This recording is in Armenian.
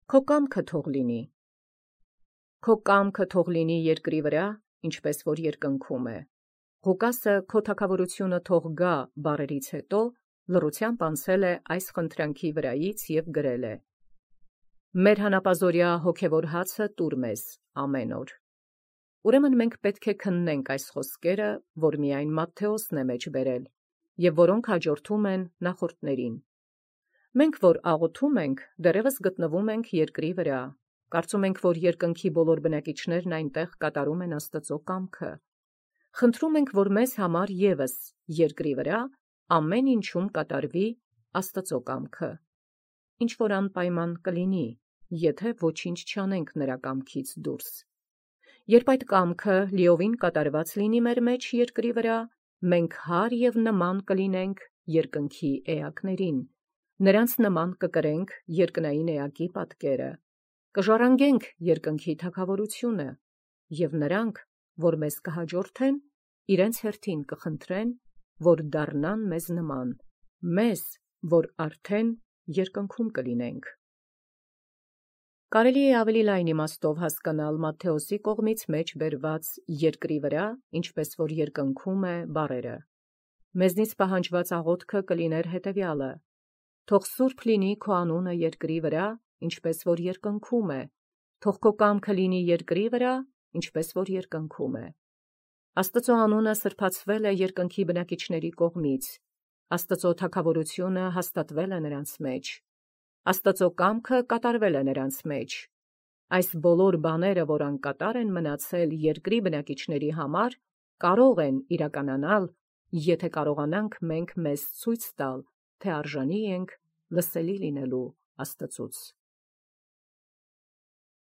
Քո կամքը թող լինի։ Քո կամքը թող լինի երկրի վրա, ինչպես որ երկնքում է։ Ղուկասը քո թագավորությունը թող գա բառերից հետո լռությամբ անցել է այս խնդրանքի վրայից և գրել է. Մեր հանապազօրյա հոգևոր հացը տուր մեզ ամեն օր։ Ուրեմն մենք պետք է քննենք այս խոսքերը, որ միայն Մատթեոսն է մեջ բերել, և որոնք հաջորդում են նախորդներին։ Մենք, որ աղոթում ենք, դեռևս գտնվում ենք երկրի վրա, կարծում ենք, որ երկնքի բոլոր բնակիչներն այնտեղ կատարում են Աստծո կամքը։ Խնդրում ենք, որ մեզ համար ևս երկրի վրա ամեն ինչում կատարվի Աստծո կամքը, ինչ որ անպայման կլինի, եթե ոչինչ չանենք նրա կամքից դուրս։ Երբ այդ կամքը լիովին կատարված լինի մեր մեջ երկրի վրա, մենք հար և նման կլինենք երկնքի էակներին, նրանց նման կկրենք երկնային էակի պատկերը, կժառանգենք երկնքի թագավորությունը, և նրանք, որ մեզ կհաջորդեն, իրենց հերթին կխնդրեն, որ դառնան մեզ նման, մեզ, որ արդեն երկնքում կլինենք։ Կարելի է ավելի լայն իմաստով հասկանալ Մատթեոսի կողմից մեջ բերված երկրի վրա, ինչպես որ երկնքում է բառերը։ Մեզնից պահանջված աղոթքը կլիներ հետևյալը. թող սուրբ լինի քո անունը երկրի վրա, ինչպես որ երկնքում է, թող քո կամքը լինի երկրի վրա, ինչպես որ երկնքում է։ Աստծո անունը սրբացվել է երկնքի բնակիչների կողմից, Աստծո թագավորությունը հաստատվել է նրանց մեջ, Աստծո կամքը կատարվել է նրանց մեջ։ Այս բոլոր բաները, որ անկատար են մնացել երկրի բնակիչների համար, կարող են իրականանալ, եթե կարողանանք մենք մեզ ցույց տալ, թե արժանի ենք լսելի լինելու Աստծուց։